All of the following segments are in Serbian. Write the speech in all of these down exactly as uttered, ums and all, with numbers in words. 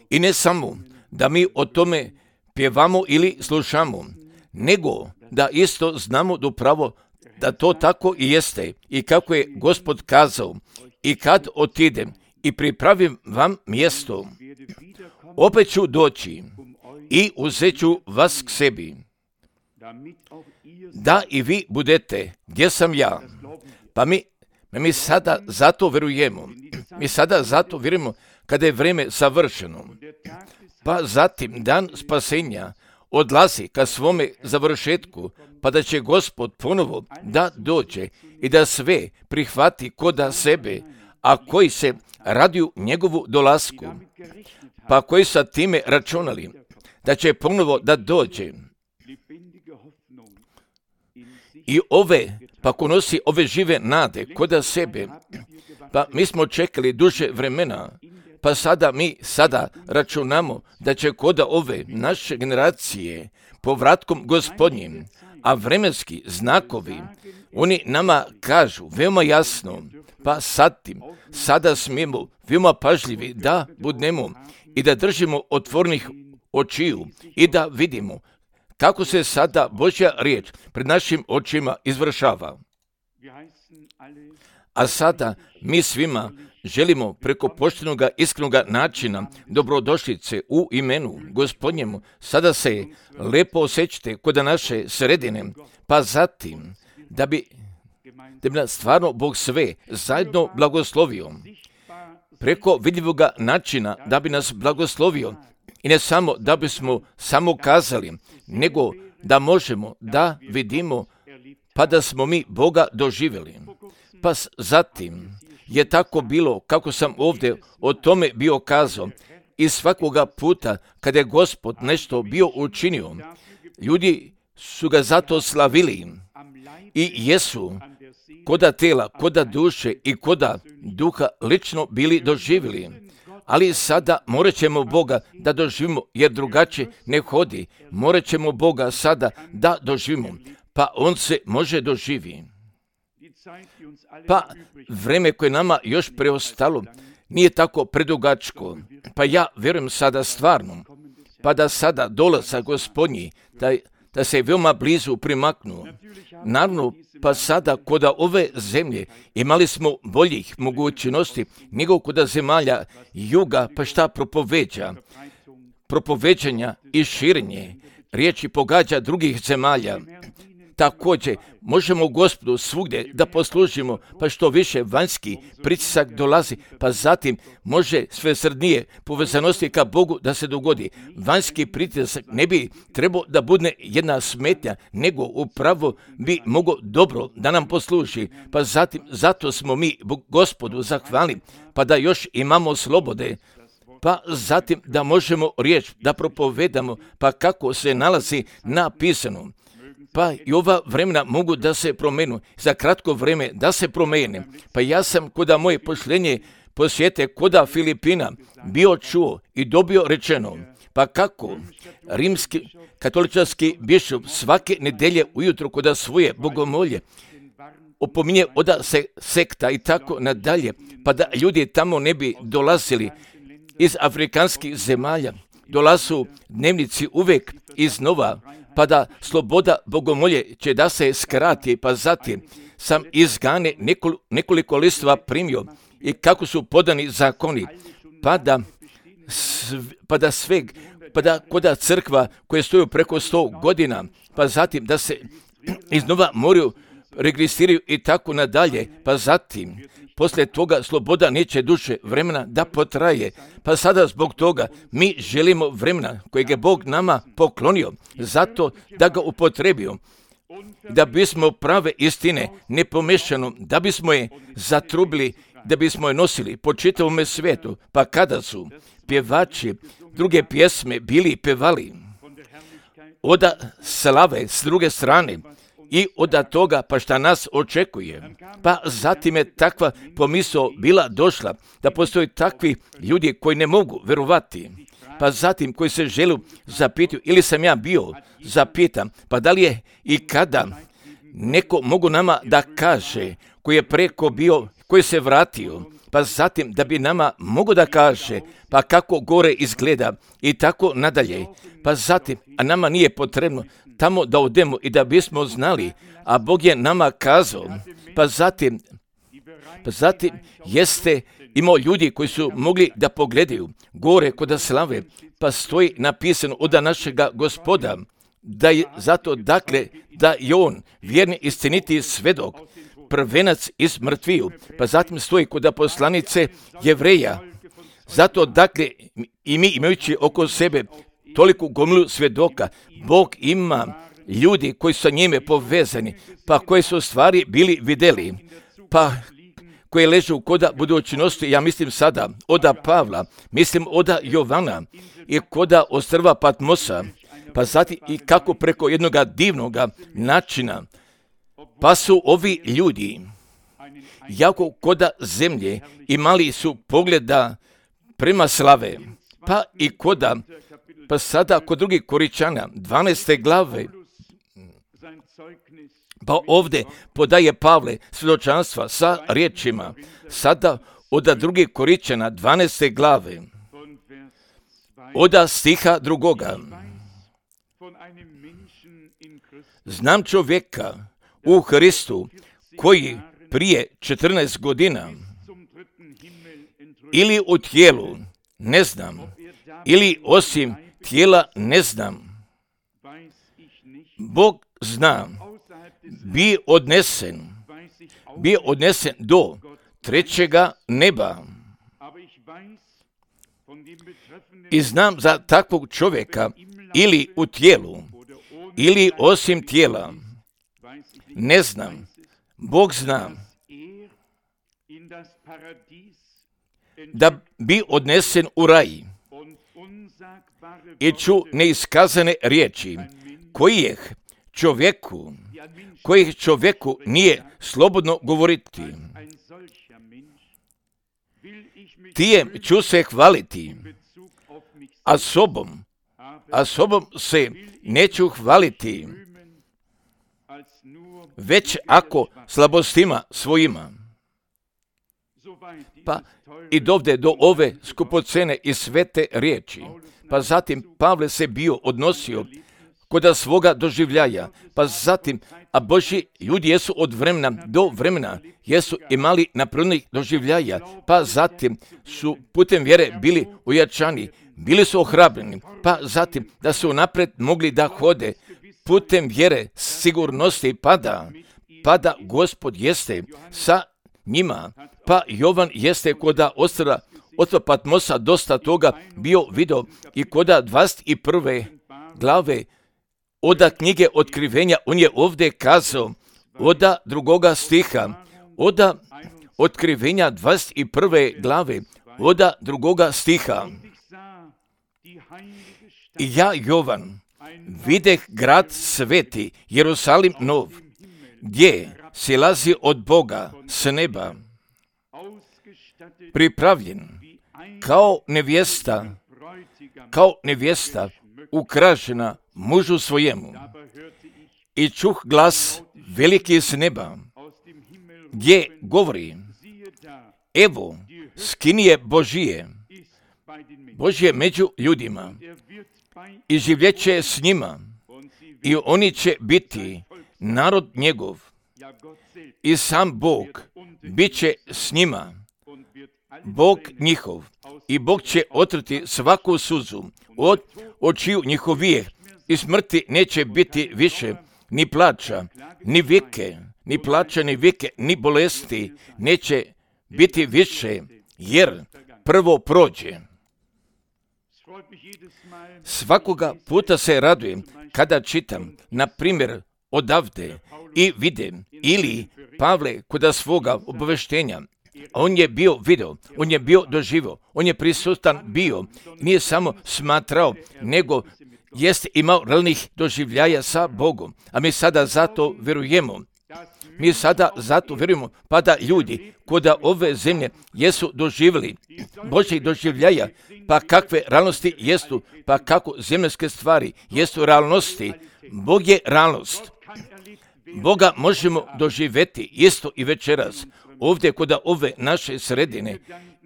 I ne samo da mi o tome pjevamo ili slušamo, nego da isto znamo upravo da to tako i jeste i kako je Gospod kazao, i kad otidem i pripravim vam mjesto, opet ću doći i uzet ću vas k sebi, da i vi budete gdje sam ja. Pa mi, mi sada zato vjerujemo, mi sada zato vjerujemo kada je vrijeme savršeno, pa zatim dan spasenja odlazi ka svome završetku, pa da će Gospod ponovo da dođe i da sve prihvati koda sebe, a koji se raduju njegovu dolasku, pa koji sa time računali da će ponovo da dođe. I ove, pa ko nosi ove žive nade koda sebe, pa mi smo čekali duže vremena, pa sada mi sada računamo da će koda ove naše generacije povratkom Gospodnjim, a vremenski znakovi, oni nama kažu veoma jasno, pa sad tim, sada smijemo veoma pažljivi da budemo i da držimo otvornih očiju i da vidimo kako se sada Božja riječ pred našim očima izvršava. A sada mi svima želimo preko poštenoga iskrenoga načina dobrodošlice u imenu Gospodnjemu. Sada se lepo osjećate kod naše sredine, pa zatim da bi, da bi nas stvarno Bog sve zajedno blagoslovio. Preko vidljivoga načina da bi nas blagoslovio i ne samo da bismo samo kazali, nego da možemo da vidimo pa da smo mi Boga doživjeli. Pa zatim je tako bilo kako sam ovdje o tome bio kazao i svakoga puta kada je Gospod nešto bio učinio, ljudi su ga zato slavili i jesu koda tela, koda duše i koda duha lično bili doživjeli. Ali sada morat ćemo Boga da doživimo, jer drugačije ne hodi. Morat ćemo Boga sada da doživimo, pa On se može doživi. Pa vreme koje nama još preostalo nije tako predugačko, pa ja vjerujem sada stvarno, pa da sada dolazak Gospodnji, da, da se veoma blizu primaknu. Naravno, pa sada kod ove zemlje imali smo boljih mogućnosti nego kod zemalja juga, pa šta propoveđa? Propoveđanja i širenje riječi pogađa drugih zemalja. Također, možemo Gospodu svugdje da poslužimo, pa što više vanjski pritisak dolazi, pa zatim može sve srdnije povezanosti ka Bogu da se dogodi. Vanjski pritisak ne bi trebao da bude jedna smetnja, nego upravo bi mogao dobro da nam posluži, pa zatim zato smo mi Gospodu zahvalni, pa da još imamo slobode, pa zatim da možemo riječ da propovedamo, pa kako se nalazi napisano. Pa i ova vremena mogu da se promenu, za kratko vrijeme da se promene. Pa ja sam koda moje pošljenje posjete koda Filipina bio čuo i dobio rečeno, pa kako rimski katoličarski bišop svake nedelje ujutro koda svoje bogomolje opominje oda se sekta i tako nadalje, pa da ljudi tamo ne bi dolazili iz afrikanskih zemalja, dolazu dnevnici uvijek iznova, pa da sloboda bogomolje će da se skrati, pa zatim sam iz Gane nekol, nekoliko listova primio i kako su podani zakoni, pa da, pa da sveg, pa da koda crkva koje stoju preko sto godina, pa zatim da se iznova moraju registriraju i tako nadalje, pa zatim poslije toga sloboda neće duže vremena da potraje, pa sada zbog toga mi želimo vremena kojeg je Bog nama poklonio, zato da ga upotrebio, da bismo prave istine nepomešano, da bismo je zatrubili, da bismo je nosili po čitavome svijetu, pa kada su pjevači druge pjesme bili pevali, oda slave s druge strane, i od toga pa šta nas očekuje. Pa zatim je takva pomisao bila došla da postoje takvi ljudi koji ne mogu verovati. Pa zatim koji se žele zapitati ili sam ja bio zapitam, pa da li je i kada neko mogu nama da kaže koji je preko bio, koji se vratio, pa zatim da bi nama mogo da kaže, pa kako gore izgleda i tako nadalje, pa zatim, a nama nije potrebno tamo da odemo i da bismo znali, a Bog je nama kazao, pa zatim, pa zatim jeste imao ljudi koji su mogli da pogledaju gore kod slave, pa stoji napisano od našega Gospoda, da je zato dakle da je on vjerni istiniti svedok, prvenac iz mrtviju, pa zatim stoji kod poslanice Jevreja. Zato dakle i mi imajući oko sebe toliku gomilu svjedoka, Bog ima ljudi koji su sa njime povezani, pa koji su stvari bili vidjeli, pa koje ležu koda budućnosti, ja mislim sada oda Pavla, mislim oda Jovana i koda ostrva Patmosa, pa zatim i kako preko jednog divnog načina, pa su ovi ljudi, jako koda zemlje, imali su pogleda prema slave, pa i koda, pa sada kod drugih Koričana, dvanaeste glave, pa ovdje podaje Pavle svjedočanstva sa riječima, sada od drugih Koričana, dvanaeste glave, od stiha drugoga. Znam čovjeka u Hristu koji prije četrnaest godina ili u tijelu ne znam, ili osim tijela ne znam, Bog zna, bi odnesen, bi odnesen do trećega neba. I znam za takvog čovjeka ili u tijelu, ili osim tijela, ne znam, Bog zna, da bi odnesen u raj i ču neiskazane riječi, kojih čovjeku, kojih čovjeku nije slobodno govoriti. Tijem ću se hvaliti, a sobom, a sobom se neću hvaliti, već ako slabostima svojima. Pa i dovde do ove skupocene i svete riječi. Pa zatim Pavle se bio odnosio kod svoga doživljaja, pa zatim, a Božji ljudi jesu od vremena do vremena, jesu imali napravljenih doživljaja, pa zatim su putem vjere bili ojačani, bili su ohrabreni, pa zatim da su napred mogli da hode putem vjere sigurnosti, pada, pada Gospod jeste sa njima, pa Jovan jeste koda ostrva ostrva Patmosa dosta toga bio video i koda dvadeset prve glave oda knjige Otkrivenja, on je ovdje kazao, oda drugoga stiha, oda Otkrivenja dvadeset prve glave, oda drugoga stiha. I ja, Jovan, videh grad sveti, Jerusalim nov, gdje silazi od Boga s neba, pripravljen kao nevjesta, kao nevjesta ukrašena mužu svojemu. I čuh glas veliki s neba, gdje govori, evo, skinije Božije, Božje među ljudima, i življeće s njima, i oni će biti narod njegov, i sam Bog bit će s njima, Bog njihov, i Bog će otrti svaku suzu od očiju njihovih, i smrti neće biti više, ni plača, ni vike, ni plača, ni vike, ni bolesti neće biti više, jer prvo prođe. Svakoga puta se radujem kada čitam, na primjer, odavde i vidim, ili Pavle kod svoga obaveštenja, on je bio video, on je bio doživio, on je prisutan bio, nije samo smatrao, nego jest imao realnih doživljaja sa Bogom, a mi sada zato vjerujemo. Mi sada zato vjerujemo, pa da ljudi kod ove zemlje jesu doživjeli Božjih doživljaja, pa kakve realnosti jesu, pa kako zemljske stvari jesu realnosti. Bog je realnost. Boga možemo doživjeti isto i večeras. ovdje kod ove naše sredine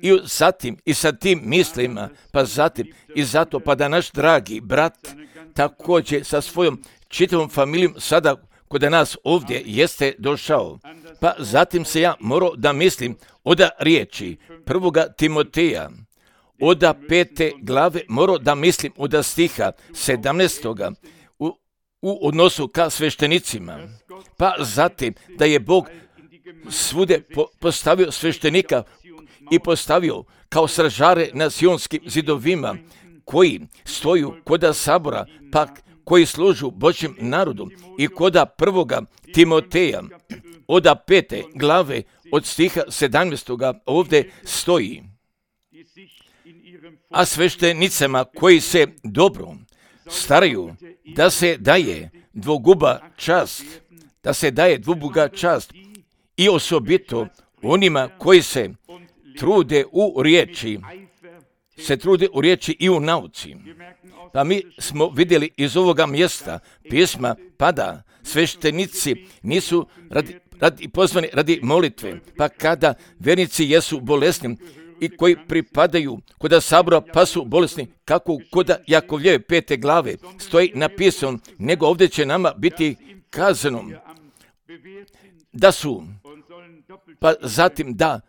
i sa tim i sa tim mislima, pa zatim i zato pa da naš dragi brat također sa svojom čitavom familijom sada kod nas ovdje jeste došao. Pa zatim se ja morao da mislim oda riječi prvoga Timoteja, oda pete glave, morao da mislim oda stiha sedamnaestoga u, u odnosu ka sveštenicima. Pa zatim da je Bog svude po, postavio sveštenika i postavio kao stražare na sionskim zidovima koji stoju koda sabora, pa koji služu Božjem narodu i koda prvoga Timoteja, oda pete glave od stiha sedamnaestoga ovdje stoji. A sveštenicama koji se dobro staraju da se daje dvoguba čast, da se daje dvoguba čast i osobito onima koji se trude u riječi, se trude u riječi i u nauci. Pa mi smo vidjeli iz ovoga mjesta pisma pada sveštenici nisu radi, radi, pozvani radi molitve, pa kada vernici jesu bolesni i koji pripadaju koda sabora pa su bolesni, kako koda Jakovljeve pete glave stoji napisano, nego ovdje će nama biti kazano da su, pa zatim da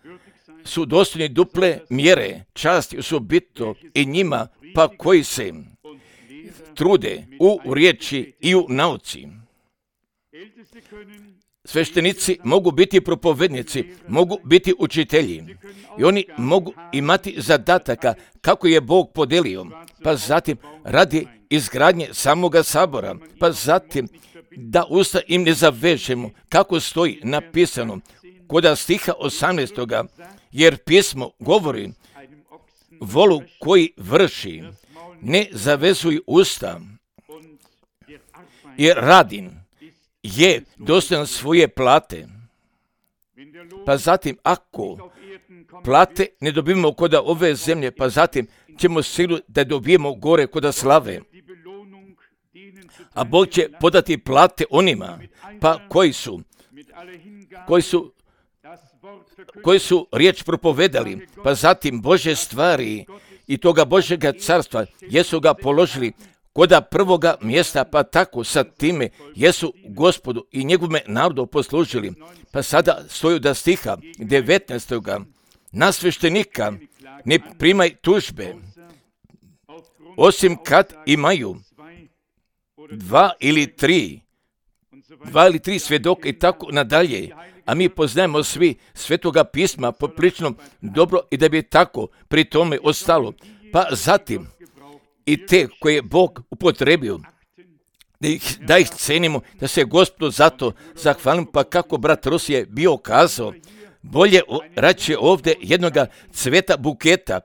su dostojni duple mjere časti osobito i njima pa koji se trude u riječi i u nauci. Sveštenici mogu biti propovednici, mogu biti učitelji i oni mogu imati zadataka kako je Bog podelio, pa zatim radi izgradnje samoga sabora, pa zatim da usta im ne zavežemo kako stoji napisano koda stiha osamnaestoga, jer pismo govori volu koji vrši, ne zavezuj usta, jer radin je dostojan svoje plate. Pa zatim, ako plate ne dobijemo koda ove zemlje, pa zatim ćemo sigurno da dobijemo gore koda slave. A Bog će podati plate onima, pa koji su, koji su, koji su riječ propovedali, pa zatim Bože stvari i toga Božega carstva jesu ga položili koda prvoga mjesta, pa tako sa time jesu Gospodu i njegove narodu poslužili. Pa sada stoju da stiha devetnaestoga na sveštenika ne primaj tužbe, osim kad imaju dva ili tri, dva ili tri svjedoka i tako nadalje. A mi poznajemo svi svetoga pisma poprilično dobro i da bi tako pri tome ostalo. Pa zatim i te koje je Bog upotrebio, da ih, da ih cenimo, da se Gospodu zato zahvalim, pa kako brat Rosije bio kazao, bolje raće ovdje jednoga cveta buketa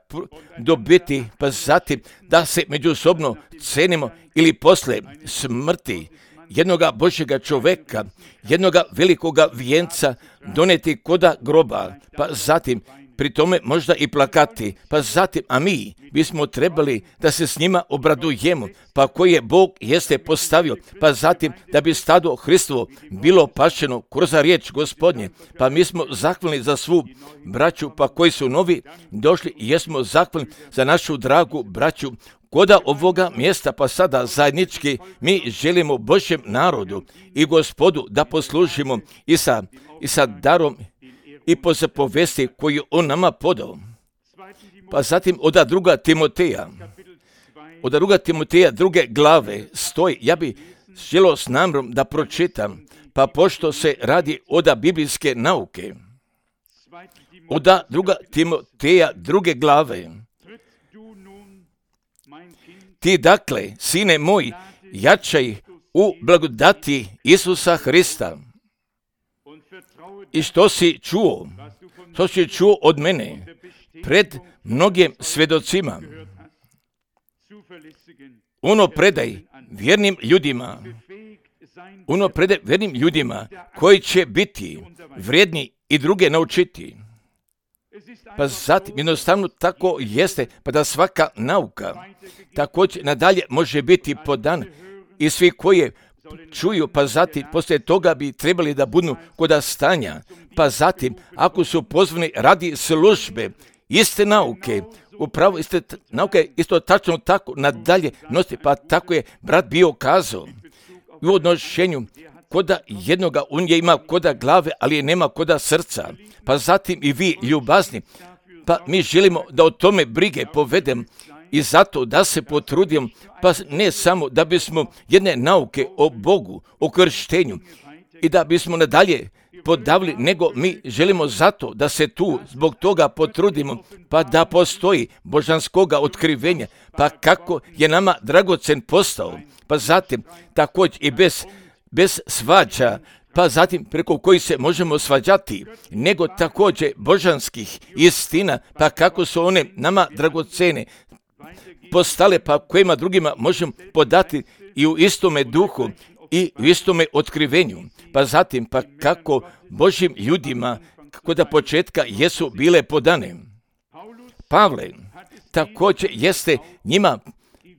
dobiti, pa zatim da se međusobno cenimo ili posle smrti jednoga Božjega čoveka, jednoga velikoga vijenca doneti koda groba, pa zatim pri tome možda i plakati, pa zatim, a mi bismo trebali da se s njima obradujemo, pa koji je Bog jeste postavio, pa zatim da bi stado Hristovo bilo pašeno kroz riječ Gospodnje, pa mi smo zahvalni za svu braću, pa koji su novi došli i jesmo zahvalni za našu dragu braću koda ovoga mjesta, pa sada zajednički mi želimo Božjem narodu i Gospodu da poslužimo i sa, i sa darom i po zapovesti koju on nama podao. Pa zatim oda druga Timoteja, oda druga Timoteja druge glave stoji, ja bi želio s namjerom da pročitam, pa pošto se radi oda biblijske nauke, oda druga Timoteja druge glave, ti dakle, sine moj, jačaj u blagodati Isusa Hrista. I što si čuo, što si čuo od mene, pred mnogim svjedocima, ono predaj vjernim ljudima, ono predaj vjernim ljudima koji će biti vrijedni i druge naučiti. Pa zatim jednostavno tako jeste, pa da svaka nauka također nadalje može biti podan i svi koji čuju, pa zatim poslije toga bi trebali da budu koda stanja, pa zatim ako su pozvani radi službe, iste nauke, upravo iste nauke, isto tačno tako nadalje nositi, pa tako je brat bio kazao. U odnošenju koda jednoga on je ima koda glave, ali je nema koda srca. Pa zatim i vi ljubazni, pa mi želimo da o tome brige povedem i zato da se potrudim, pa ne samo da bismo jedne nauke o Bogu, o krštenju i da bismo nadalje podavili, nego mi želimo zato da se tu zbog toga potrudimo, pa da postoji božanskoga otkrivenja, pa kako je nama dragocen postao, pa zatim također i bez, bez svađa, pa zatim preko kojih se možemo svađati, nego također božanskih istina, pa kako su one nama dragocene postale, pa kojima drugima možemo podati i u istome duhu i u istome otkrivenju. Pa zatim, pa kako Božjim ljudima kod početka jesu bile podane. Pavle također jeste njima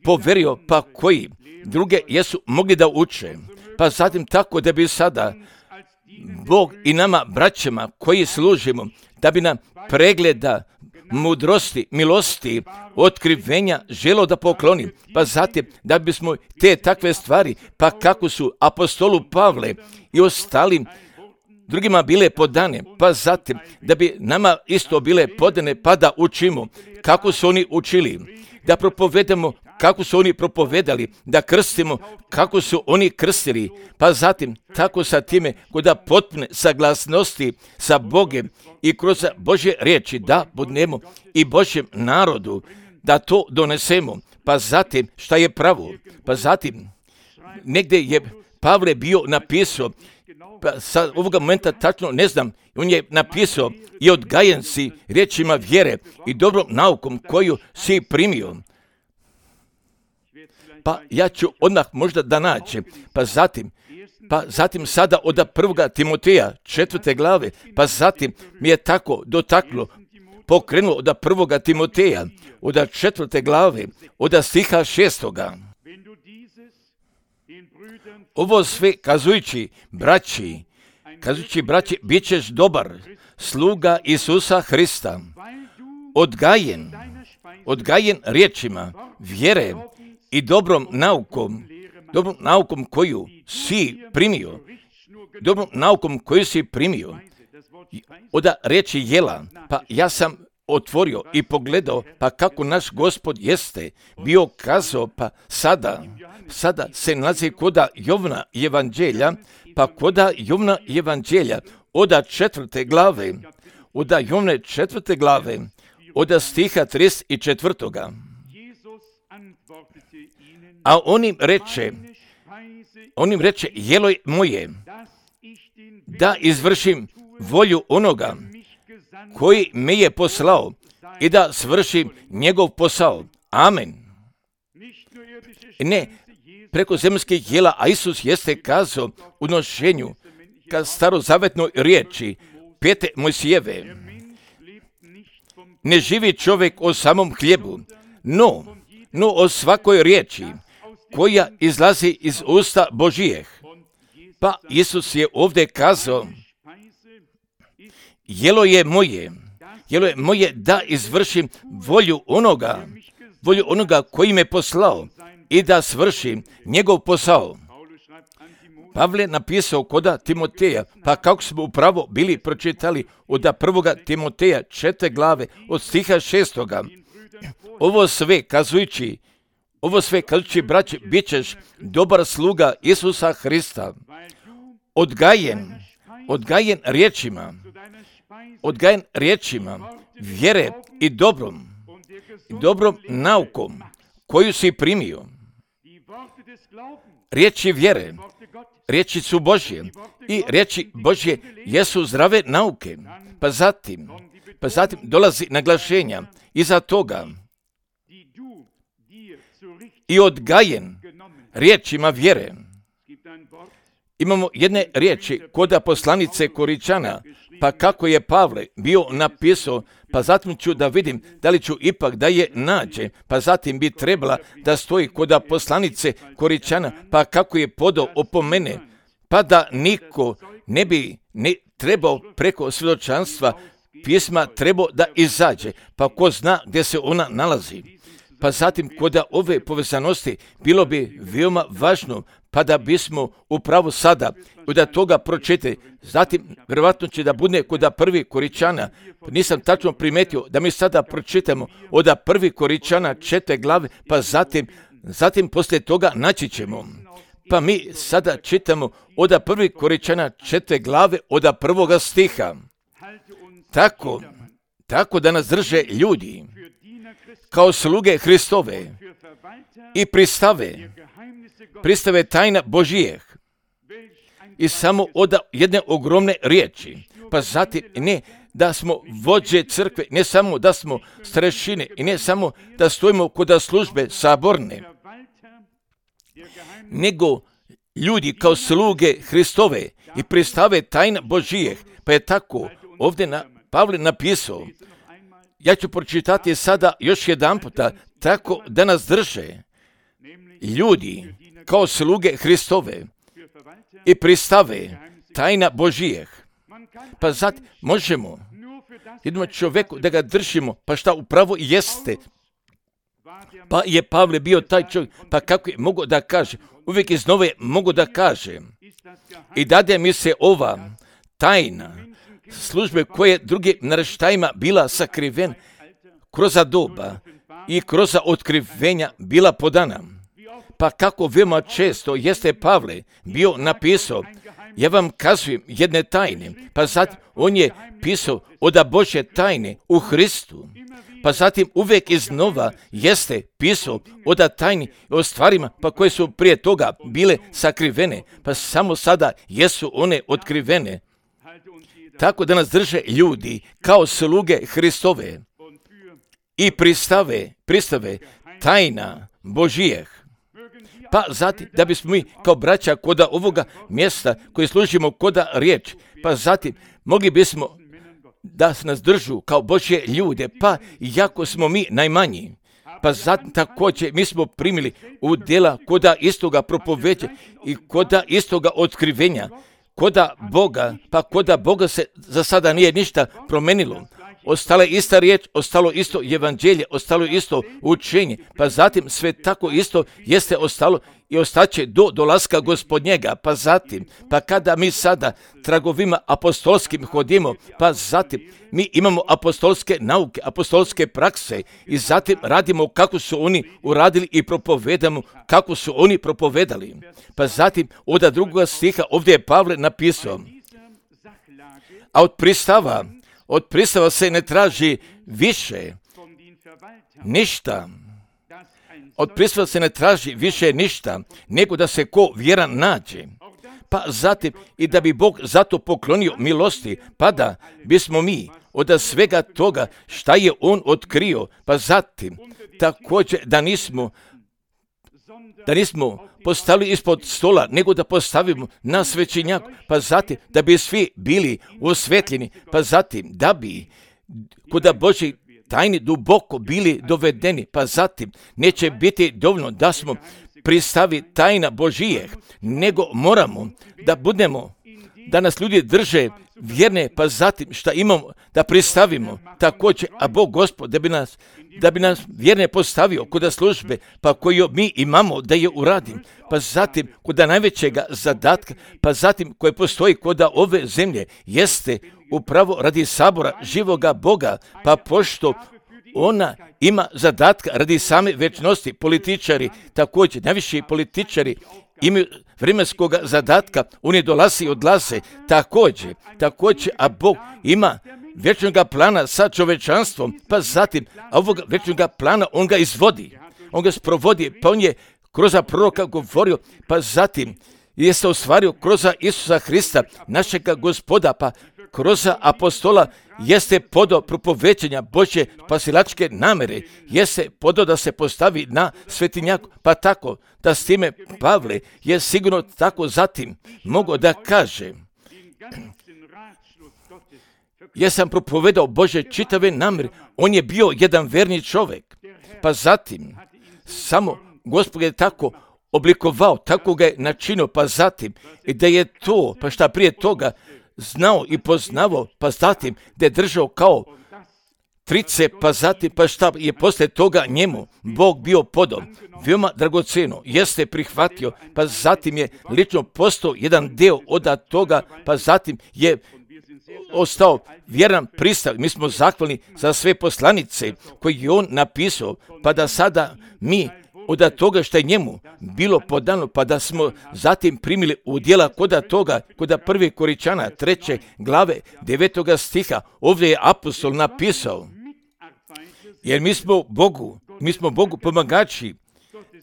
poverio, pa koji druge jesu mogli da uče. Pa zatim tako da bi sada Bog i nama braćama koji služimo, da bi nam pregleda mudrosti, milosti, otkrivenja želo da pokloni, pa zatim da bismo te takve stvari, pa kako su apostolu Pavle i ostalim drugima bile podane, pa zatim da bi nama isto bile podane, pa da učimo kako su oni učili, da propovedamo kako su oni propovedali, da krstimo kako su oni krstili, pa zatim tako sa time kod potpune saglasnosti sa Bogem i kroz Božje riječi da budemo i Božjem narodu, da to donesemo, pa zatim šta je pravo, pa zatim negdje je Pavle bio napisao, pa sa ovoga momenta tačno ne znam, on je napisao i odgajen si riječima vjere i dobrom naukom koju si primio. Pa ja ću odmah možda da nađem, pa zatim, pa zatim sada od prvoga Timoteja, četvrte glave, pa zatim mi je tako dotaklo, pokrenulo od prvoga Timoteja, od četvrte glave, od stiha šestoga. Ovo sve kazujući, braći, kazujući, braći, bit ćeš dobar, sluga Isusa Hrista, odgajen, odgajen riječima vjere i dobrom naukom, dobrom naukom koju si primio, dobrom naukom koju si primio, od riječi jela, pa ja sam otvorio i pogledao, pa kako naš Gospod jeste bio kazao, pa sada, sada se nalazi koda Jovna evanđelja, pa koda Jovna evanđelja, od četvrte glave, od Jovne četvrte glave, od stiha trideset četvrtoga. A on im reče, on im reče, jelo moje, da izvršim volju onoga koji me je poslao i da svršim njegov posao. Amen. Ne, preko zemljskih jela, a Isus jeste kazao u nošenju ka starozavetnoj riječi pete Mojsijeve. Ne živi čovjek o samom hljebu, no, no o svakoj riječi koja izlazi iz usta Božijeh. Pa Isus je ovdje kazao, jelo je moje, jelo je moje da izvršim volju onoga, volju onoga koji me poslao i da svršim njegov posao. Pavle napisao koda Timoteja, pa kako smo upravo bili pročitali od prvoga Timoteja četvrte glave od stiha šestoga. Ovo sve kazujući, ovo sve kazujući, braći, bit ćeš dobar sluga Isusa Hrista, odgajen, odgajen riječima, odgajen riječima vjere i dobrom, dobrom naukom koju si primio. Riječi vjere, riječi su Božje i riječi Božje jesu zdrave nauke. Pa zatim, pa zatim dolazi naglašenja iza toga i odgajen riječima vjere. Imamo jedne riječi koda poslanice Koričana, pa kako je Pavle bio napisao, pa zatim ću da vidim da li ću ipak da je nađe, pa zatim bi trebala da stoji koda poslanice Koričana, pa kako je podao opomene, pa da niko ne bi ne trebao preko svjedočanstva pisma trebao da izađe, pa ko zna gdje se ona nalazi. Pa zatim, kod ove povezanosti bilo bi veoma važno, pa da bismo upravo sada od toga pročitali. Zatim, vjerovatno će da bude kod prvi Koričana, nisam tačno primetio da mi sada pročitamo od prvi Koričana četvrte glave, pa zatim, zatim poslije toga naći ćemo. Pa mi sada čitamo od prvi Koričana četvrte glave od prvoga stiha. Tako, tako da nas drže ljudi kao sluge Hristove i pristave, pristave tajna Božijeh i samo od jedne ogromne riječi. Pa zatim ne da smo vođe crkve, ne samo da smo starešine i ne samo da stojimo kod službe saborne, nego ljudi kao sluge Hristove i pristave tajna Božijeh. Pa je tako ovdje na Pavle napisao. Ja ću pročitati sada još jedan puta, tako da nas drže ljudi kao sluge Hristove i pristave tajna Božijeh. Pa zato možemo jednom čovjeku da ga držimo, pa šta upravo jeste. Pa je Pavle bio taj čovjek, pa kako je mogo da kaže, uvijek iznove mogu da kaže. I dade mi se ova tajna službe koje drugim naraštajima bila sakriven kroz doba i kroz otkrivenja bila podana. Pa kako veoma često jeste Pavle bio napisao, ja vam kazujem jedne tajne, pa zatim on je pisao od Božje tajne u Hristu, pa zatim uvijek iznova jeste pisao od tajni o stvarima pa koje su prije toga bile sakrivene, pa samo sada jesu one otkrivene. Tako da nas drže ljudi kao sluge Hristove i pristave, pristave tajna Božijeh. Pa zatim, da bismo mi kao braća kod ovoga mjesta koji služimo kod riječ, pa zatim mogli bismo da nas držu kao Božje ljude, pa iako smo mi najmanji. Pa zatim također mi smo primili u djela koda istoga propoveđa i koda istoga otkrivenja, koda Boga, pa koda Boga se za sada nije ništa promenilo. Ostala je ista riječ, ostalo isto evanđelje, ostalo isto učenje, pa zatim sve tako isto jeste ostalo i ostaće do dolaska Gospodnjega, pa zatim, pa kada mi sada tragovima apostolskim hodimo, pa zatim mi imamo apostolske nauke, apostolske prakse i zatim radimo kako su oni uradili i propovedamo kako su oni propovedali. Pa zatim od drugoga stiha ovdje je Pavle napisao, a od pristava Od pristava se ne traži više ništa. Od pristava se ne traži više ništa, nego da se ko vjeran nađe. Pa zatim i da bi Bog zato poklonio milosti, pa da bismo mi od svega toga šta je On otkrio, pa zatim također da nismo da nismo postavili ispod stola, nego da postavimo na svećenjaku, pa zatim da bi svi bili osvetljeni, pa zatim da bi kod Božji tajni duboko bili dovedeni, pa zatim neće biti dovoljno da smo pristavi tajna Božijeh, nego moramo da budemo, da nas ljudi drže vjerne, pa zatim šta imamo da pristavimo također, a Bog Gospod da bi nas da bi nas vjerne postavio kod službe, pa koju mi imamo da je uradim, pa zatim kod najvećega zadatka, pa zatim koje postoji kod ove zemlje, jeste upravo radi sabora živoga Boga, pa pošto ona ima zadatka radi same večnosti, političari, također najviši političari imaju vremenskog zadatka, oni dolaze i odlaze, također, također, a Bog ima vječnog plana sa čovečanstvom, pa zatim, a ovog vječnog plana on ga izvodi, on ga sprovodi, pa on je kroz proroka govorio, pa zatim je se ostvario kroz Isusa Hrista, našega Gospoda, pa kroz apostola jeste podo propovećenja Božje spasilačke namere, jeste podo da se postavi na svetinjaku, pa tako da s time Pavle je sigurno tako zatim mogao da kaže, ja sam propovedao Božje čitave namere, on je bio jedan verni čovjek, pa zatim samo Gospod je tako oblikovao, tako ga je načinio, pa zatim i da je to, pa šta prije toga znao i poznavao, pa zatim da je držao kao trice, pa zatim pa šta je poslije toga njemu Bog bio podao veoma dragoceno, jeste prihvatio, pa zatim je lično postao jedan deo od toga, pa zatim je ostao vjeran pristav. Mi smo zahvalni za sve poslanice koje je on napisao, pa da sada mi od toga što je njemu bilo podano, pa da smo zatim primili udjela kod toga, kod prvi Koričana, treće glave, devetoga stiha, ovdje je apostol napisao, jer mi smo Bogu, mi smo Bogu pomagači,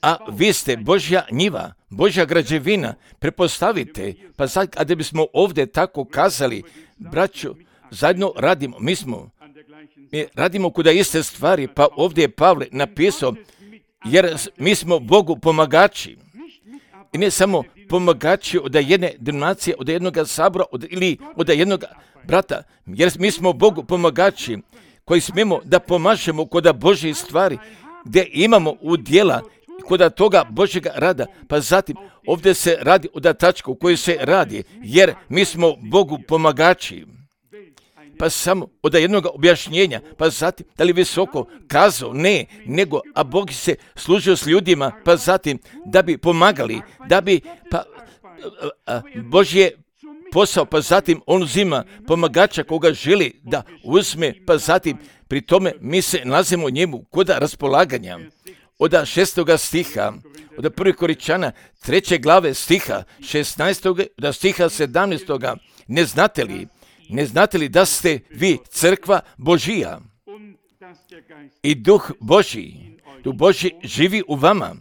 a vi ste Božja njiva, Božja građevina, prepostavite, pa sad kada bismo ovdje tako kazali, braćo, zajedno radimo, mi smo, mi radimo kuda iste stvari, pa ovdje je Pavle napisao, jer mi smo Bogu pomagači. I ne samo pomagači od jedne denominacije, od jednog sabora od, ili od jednog brata, jer mi smo Bogu pomagači koji smemo da pomažemo kod Božje stvari, gdje imamo udjela kod toga Božjega rada, pa zatim ovdje se radi o tačku koji se radi, jer mi smo Bogu pomagači. Pa samo od jednog objašnjenja, pa zatim da li visoko kazao, ne, nego, a Bog se služio s ljudima, pa zatim da bi pomagali, da bi, pa a, a, Božje posao, pa zatim on uzima pomagača koga želi da uzme, pa zatim pri tome mi se nalazimo njemu kod raspolaganja. Od šestoga stiha, od prvih Koričana, treće glave stiha, šesnaestoga, od stiha sedamnaestoga, ne znate li, ne znate li da ste vi crkva Božija i duh Božji, duh Božji živi u vama.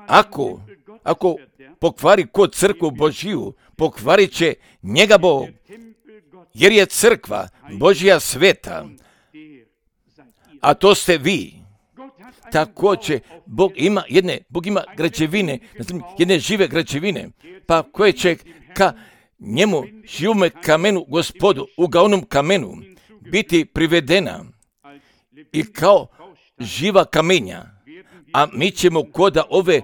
Ako, ako pokvari ko crkvu Božiju, pokvarit će njega Bog, jer je crkva Božja sveta, a to ste vi. Također, Bog ima jedne, Bog ima građevine, jedne žive građevine, pa koje će ka njemu živome kamenu Gospodu, ugaonom kamenu, biti privedena i kao živa kamenja, a mi ćemo koda ove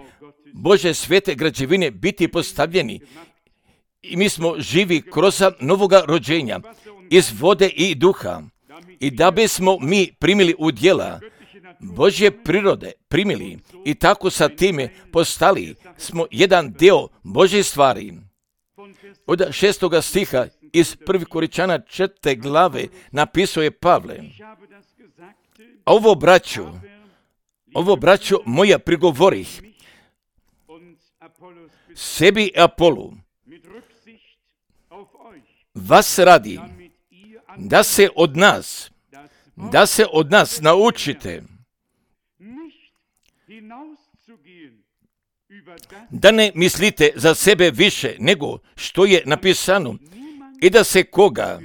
Bože svete građevine biti postavljeni i mi smo živi kroz novoga rođenja iz vode i duha i da bismo mi primili udjela Božje prirode, primili i tako sa time postali smo jedan deo Božje stvari. Od šestoga stiha iz prvih Koričana četvrte glave napisao je Pavle, a ovo braću, ovo braću moja prigovorih sebi i Apolu, vas radi, da se od nas, da se od nas naučite, da ne mislite za sebe više nego što je napisano i da se koga,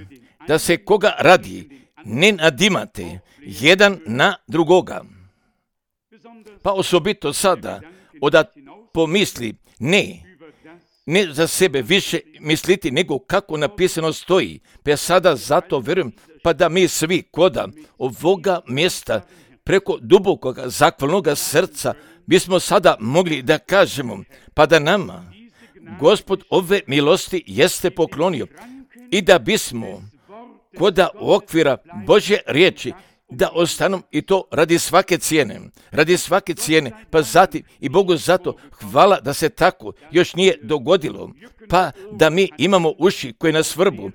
da se koga radi, ne nadimate jedan na drugoga. Pa osobito sada, od pomisli, ne, ne za sebe više misliti nego kako napisano stoji, pa sada zato vjerujem, pa da mi svi koda ovoga mjesta preko dubokog zahvalnog srca bismo sada mogli da kažemo, pa da nama Gospod ove milosti jeste poklonio i da bismo koda okvira Božje riječi da ostanu i to radi svake cijene, radi svake cijene, pa zatim i Bogu zato hvala da se tako još nije dogodilo, pa da mi imamo uši koje nas vrbu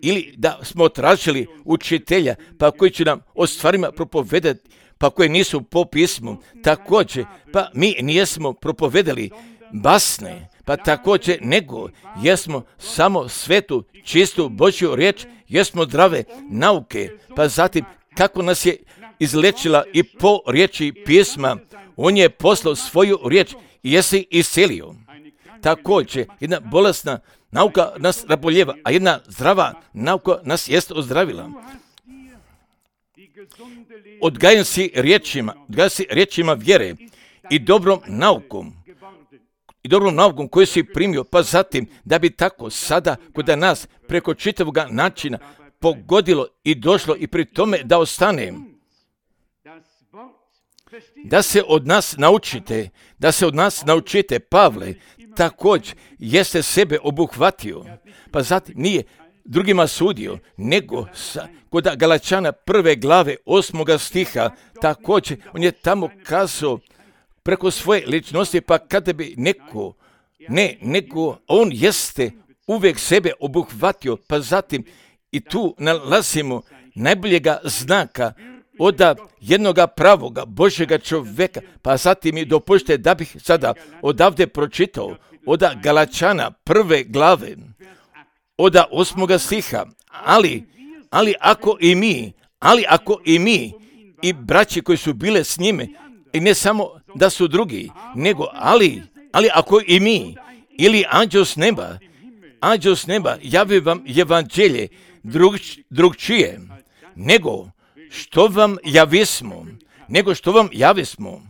ili da smo tražili učitelja pa koji će nam o stvarima propovedati, pa koje nisu po pismu, također, pa mi nijesmo propovedali basne, pa također nego jesmo samo svetu, čistu Božju riječ, jesmo zdrave nauke, pa zatim kako nas je izlečila i po riječi pisma, on je poslao svoju riječ i jesi iscelio. Također, jedna bolesna nauka nas raboljeva, a jedna zdrava nauka nas jest ozdravila. Odgajan si riječima, odgajan si riječima vjere i dobrom naukom, i dobrom naukom koju si primio, pa zatim da bi tako sada kod nas preko čitavog načina pogodilo i došlo i pri tome da ostane. Da se od nas naučite, da se od nas naučite, Pavle također jeste sebe obuhvatio, pa zatim nije drugima sudio, nego sa, kod Galačana prve glave osmoga stiha, također on je tamo kazao preko svoje ličnosti, pa kada bi neko, ne, nego on jeste uvijek sebe obuhvatio, pa zatim i tu nalazimo najboljega znaka od jednoga pravoga Božjega čovjeka, pa zatim i dopušte da bih sada odavde pročitao od Galačana prve glave, od osmoga stiha, ali, ali ako i mi, ali ako i mi i braće koji su bile s njime, i ne samo da su drugi, nego ali, ali ako i mi, ili anđeo s neba, anđeo s neba javi vam evanđelje drug, drugčije, nego što vam javismo, nego što vam javismo.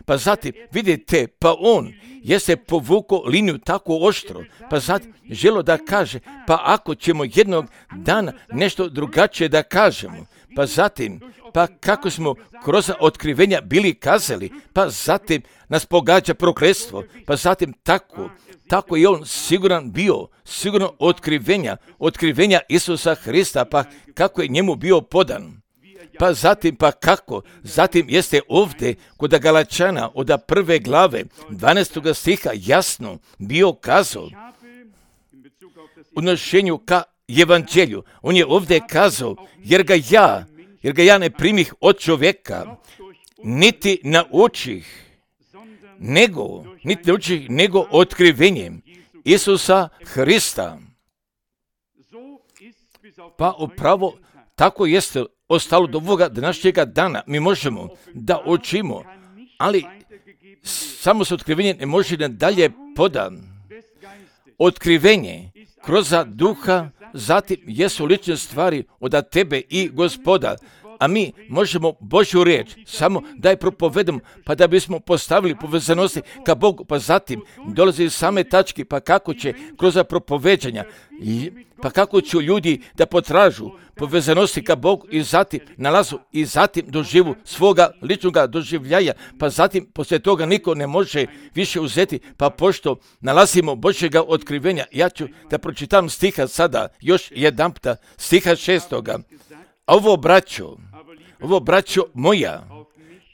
Pa zatim, vidite, pa on jeste povukao liniju tako oštro, pa zatim želo da kaže, pa ako ćemo jednog dana nešto drugačije da kažemo, pa zatim, pa kako smo kroz otkrivenja bili kazali, pa zatim nas pogađa prokletstvo, pa zatim tako, tako je on siguran bio, sigurno otkrivenja, otkrivenja Isusa Hrista, pa kako je njemu bio podan. Pa zatim, pa kako? Zatim jeste ovdje kod Galačana od prve glave dvanaestoga stiha jasno bio kazao u odnošenju ka evanđelju. On je ovdje kazao, jer ga ja, jer ga ja ne primih od čovjeka, niti naučih, nego, niti naučih, nego otkrivenjem Isusa Hrista. Pa upravo tako jeste ostalo do ovoga današnjega dana. Mi možemo da učimo, ali samo se otkrivenje ne može nadalje podan. Otkrivenje kroz duha, zatim jesu lične stvari od tebe i Gospoda, a mi možemo Božju riječ samo da je propovedemo, pa da bismo postavili povezanosti ka Bogu, pa zatim dolazi same tačke, pa kako će kroz propoveđanja, pa kako će ljudi da potražu povezanosti ka Bogu i zatim nalazu i zatim doživu svoga ličnoga doživljaja, pa zatim poslije toga niko ne može više uzeti, pa pošto nalazimo Božjega otkrivenja, ja ću da pročitam stiha sada, još jedanputa, stiha šestoga. A ovo braćo, ovo braćo moja,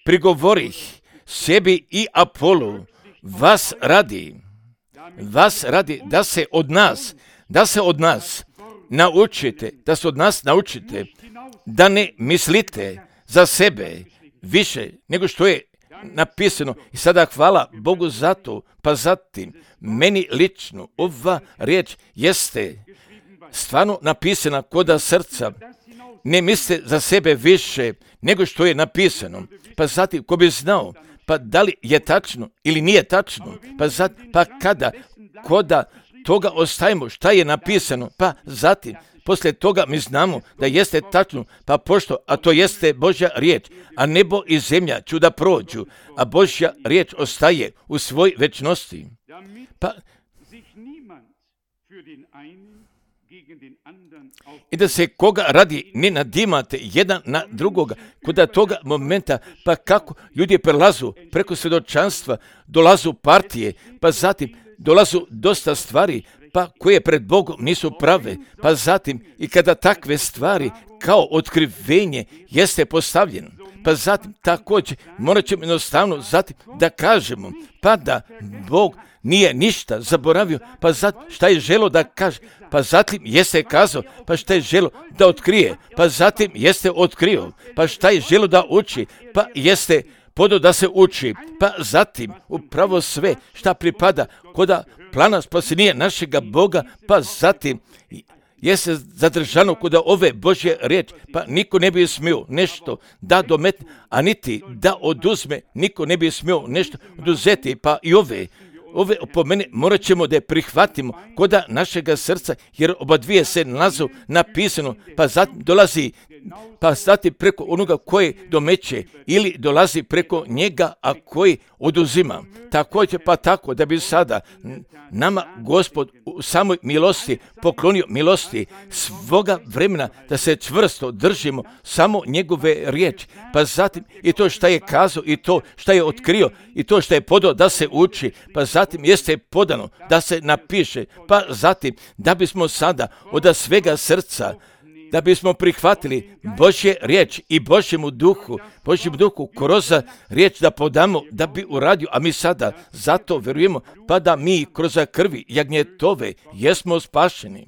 prigovorih sebi i Apolu, vas radi, vas radi da se od nas, da se od nas naučite, da se od nas naučite, da ne mislite za sebe više nego što je napisano. I sada hvala Bogu za to, pa zatim meni lično ova riječ jeste stvarno napisana koda srca. Ne misle za sebe više nego što je napisano. Pa zatim, ko bi znao, pa da li je tačno ili nije tačno, pa zatim, pa kada, koda toga ostajemo šta je napisano, pa zatim, poslije toga mi znamo da jeste tačno, pa pošto, a to jeste Božja riječ, a nebo i zemlja ću da prođu, a Božja riječ ostaje u svoj večnosti. Pa, i da se koga radi ne nadimate jedan na drugoga, kod toga momenta, pa kako ljudi prelazu preko svjedočanstva, dolazu partije, pa zatim dolazu dosta stvari, pa koje pred Bogom nisu prave, pa zatim i kada takve stvari kao otkrivenje jeste postavljeno, pa zatim također morat ćemo jednostavno zatim da kažemo, pa da Bog nije ništa zaboravio, pa zatim šta je želo da kaže, pa zatim jeste kazao, pa šta je želo da otkrije, pa zatim jeste otkrio, pa šta je želo da uči, pa jeste podo da se uči, pa zatim upravo sve šta pripada koda plana spasenja našega Boga, pa zatim jeste zadržano kod ove Božje riječi, pa niko ne bi smio nešto da dometne, a niti da oduzme, niko ne bi smio nešto oduzeti, pa i ove Ove opomene morat ćemo da je prihvatimo koda našega srca, jer oba dvije se nalazu napisano, pa zatim dolazi, pa zatim preko onoga koji domeće ili dolazi preko njega, a koji oduzima. Također pa tako da bi sada nama Gospod u samoj milosti poklonio milosti svoga vremena da se čvrsto držimo samo njegove riječi, pa zatim i to šta je kazao i to šta je otkrio i to šta je podao da se uči, pa zatim zatim jeste podano da se napiše, pa zatim da bismo sada od svega srca, da bismo prihvatili Božje riječ i Božjemu duhu, Božjem duhu kroz riječ da podamo, da bi uradio, a mi sada zato vjerujemo, pa da mi kroz krvi jagnjetove jesmo spašeni.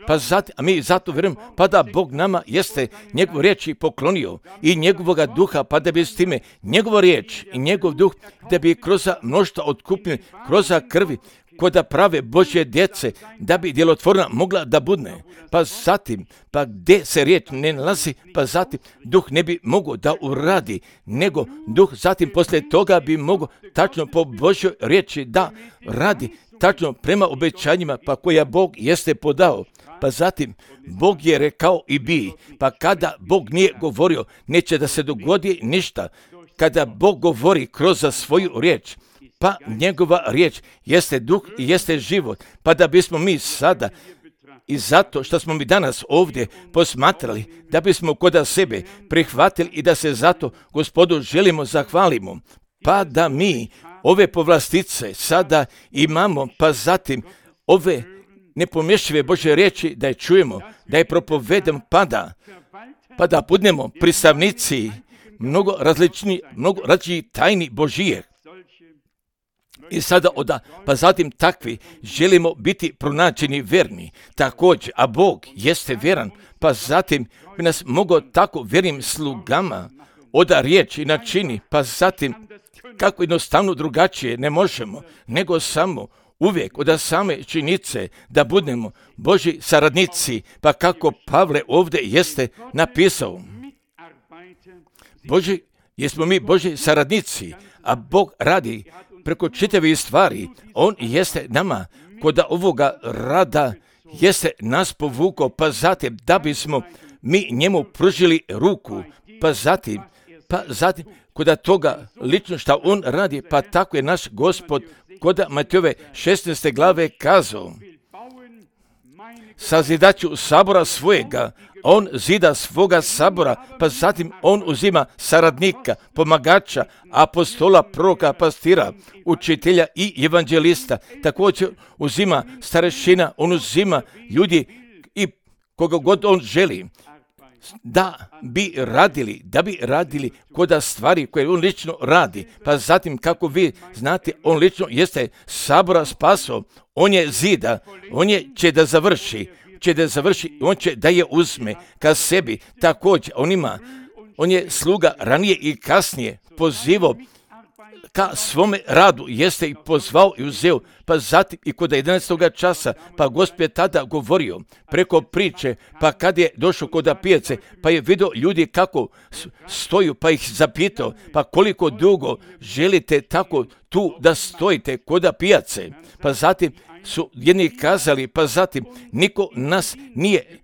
Pa zatim, a mi zato vjerujemo, pa da Bog nama jeste njegovu riječ poklonio i njegovoga duha, pa da bi s time njegova riječ i njegov duh, da bi kroz mnoštva otkupljeni, kroz krvi, kod prave Božje djece, da bi djelotvorna mogla da budne. Pa zatim, pa gdje se riječ ne nalazi, pa zatim duh ne bi mogao da uradi, nego duh zatim poslije toga bi mogao tačno po Božjoj riječi da radi, tačno prema obećanjima pa koja Bog jeste podao. Pa zatim, Bog je rekao i bi, pa kada Bog nije govorio, neće da se dogodi ništa. Kada Bog govori kroz svoju riječ, pa njegova riječ jeste duh i jeste život, pa da bismo mi sada, i zato što smo mi danas ovdje posmatrali, da bismo kod sebe prihvatili i da se zato Gospodu želimo zahvalimo, pa da mi ove povlastice sada imamo, pa zatim ove nepomješive Božje riječi da je čujemo, da je propovedemo, pa da, pa da budemo pristavnici mnogo različnih, mnogo različnih tajni Božije. I sada oda, pa zatim takvi želimo biti pronađeni verni također, a Bog jeste vjeran, pa zatim bi nas mogao tako vjernim slugama oda riječi načini, pa zatim kako jednostavno drugačije ne možemo, nego samo uvijek od same činjenice da budemo Božji saradnici, pa kako Pavle ovdje jeste napisao. Boži, jesmo mi Božji saradnici, a Bog radi preko čitavih stvari. On jeste nama kod ovoga rada jeste nas povukao, pa zatim da bismo mi njemu pružili ruku, pa zatim, pa zatim kod toga lično što on radi, pa tako je naš Gospod kod Matejove šesnaeste glave kazao: sazidaću sabora svojega, on zida svoga sabora, pa zatim on uzima saradnika, pomagača, apostola, proroka, pastira, učitelja i evanđelista. Također uzima starešina, on uzima ljudi i koga god on želi, da bi radili, da bi radili kod stvari koje on lično radi. Pa zatim, kako vi znate, on lično jeste sabora spasao, on je zida, on je će da završi, će da završi, on će da je uzme ka sebi. Također, on ima, on je sluga ranije i kasnije pozivao ka svome radu, jeste i pozvao i uzeo, pa zatim i kod jedanaestog časa, pa Gospod je tada govorio preko priče, pa kad je došao kod pijace, pa je vidio ljudi kako stoju, pa ih zapitao, pa koliko dugo želite tako tu da stojite kod pijace, pa zatim su jedni kazali, pa zatim niko nas nije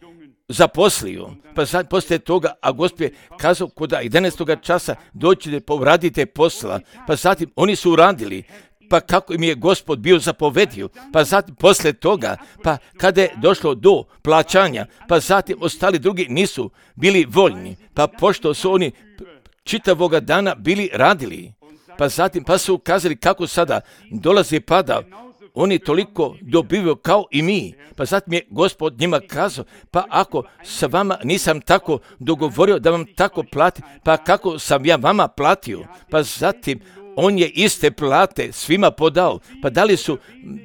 zaposlio, pa sad poslije toga, a Gospod je kazao kod jedanaestog časa dođite, povradite posla, pa zatim oni su uradili, pa kako im je Gospod bio zapovedio, pa zatim poslije toga, pa kada je došlo do plaćanja, pa zatim ostali drugi nisu bili voljni, pa pošto su oni čitavoga dana bili radili, pa zatim pa su ukazali kako sada dolazi pada, oni toliko dobivaju kao i mi. Pa zatim je Gospod njima kazao, pa ako sa vama nisam tako dogovorio da vam tako plati, pa kako sam ja vama platio? Pa zatim on je iste plate svima podao. Pa da li su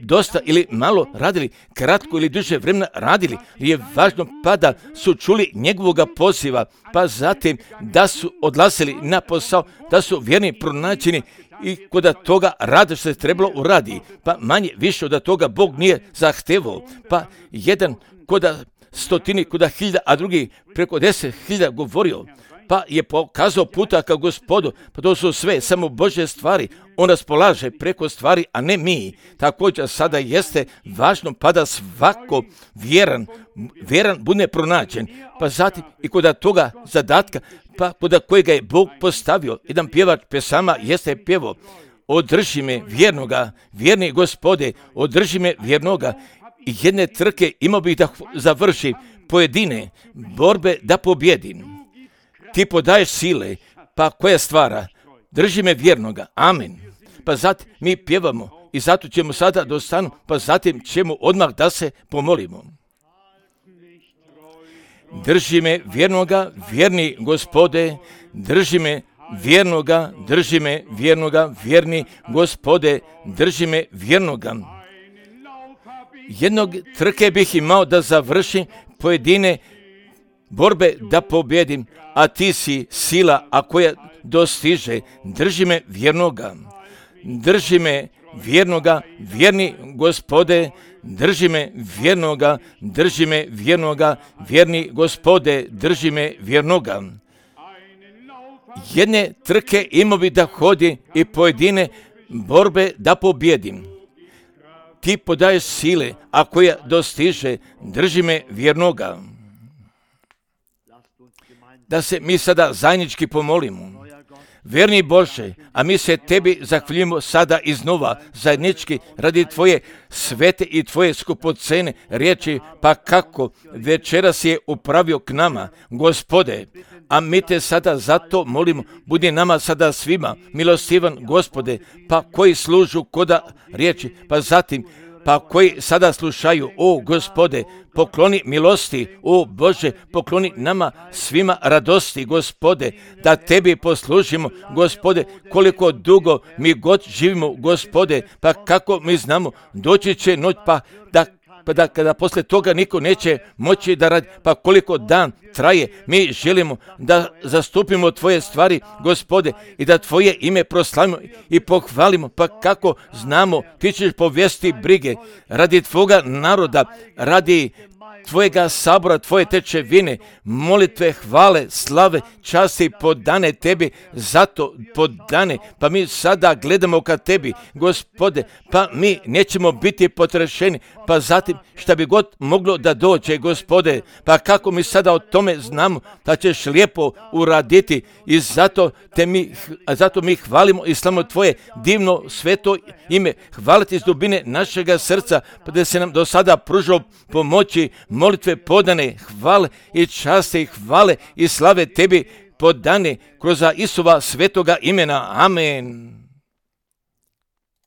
dosta ili malo radili, kratko ili duže vremena radili, je važno pa da su čuli njegovoga poziva, pa zatim da su odlazili na posao, da su vjerni pronađeni i kod toga rada što se trebalo uradi, pa manje više od toga Bog nije zahtevao, pa jedan kod stotini, kod hiljada, a drugi preko deset hiljada govorio, pa je pokazao puta ka Gospodu, pa to su sve samo Božje stvari, on raspolaže preko stvari, a ne mi. Također sada jeste važno pa da svako vjeran, vjeran bude pronađen, pa zatim i kod toga zadatka, pa kod kojega je Bog postavio, jedan pjevač pesama jeste pjevo, održi me vjernoga, vjerni Gospode, održi me vjernoga, i jedne trke imao bih da završi, pojedine borbe da pobjedim. Ti podaješ sile, pa koja stvara, drži me vjernoga, amen. Pa zatim mi pjevamo, I zato ćemo sada dostanu, pa zatim ćemo odmah da se pomolimo. Drži me vjernoga, vjerni Gospode, drži me vjernoga, drži me vjernoga, vjerni Gospode, drži me vjernoga. Jednog trke bih imao da završim, pojedine borbe da pobjedim, a ti si sila, a koja dostiže. Drži me vjernoga, drži me vjernoga, vjerni Gospode, drži me vjernoga, drži me vjernoga, vjerni Gospode, drži me vjernoga. Jedne trke imao bi da hodi i pojedine borbe da pobjedim. Ti podaješ sile, a koja dostiže, drži me vjernoga. Da se mi sada zajednički pomolimo. Vjerni Bože, a mi se tebi zahvaljujemo sada iznova zajednički radi tvoje svete i tvoje skupocene riječi, pa kako večeras je upravio k nama, Gospode, a mi te sada zato molimo, budi nama sada svima milostivan, Gospode, pa koji služu koda riječi, pa zatim pa koji sada slušaju, o Gospode, pokloni milosti, o Bože, pokloni nama svima radosti, Gospode, da tebi poslužimo, Gospode, koliko dugo mi god živimo, Gospode, pa kako mi znamo, doći će noć, pa da pa da kada posle toga niko neće moći da radi, pa koliko dan traje, mi želimo da zastupimo tvoje stvari, Gospode, i da tvoje ime proslavimo i pohvalimo, pa kako znamo, ti ćeš povesti brige radi tvoga naroda, radi tvojega sabora, tvoje tečevine, molitve, hvale, slave, časti podane tebi, zato podane, pa mi sada gledamo ka tebi, Gospode, pa mi nećemo biti potrešeni, pa zatim šta bi god moglo da dođe, Gospode, pa kako mi sada o tome znamo da ćeš lijepo uraditi i zato te mi, zato mi hvalimo i slavimo tvoje divno sveto ime, hvaliti iz dubine našega srca, pa da se nam do sada pružilo pomoći, molitve podane, hvale i časti, hvale i slave tebi podane kroz Isova svetoga imena. Amen.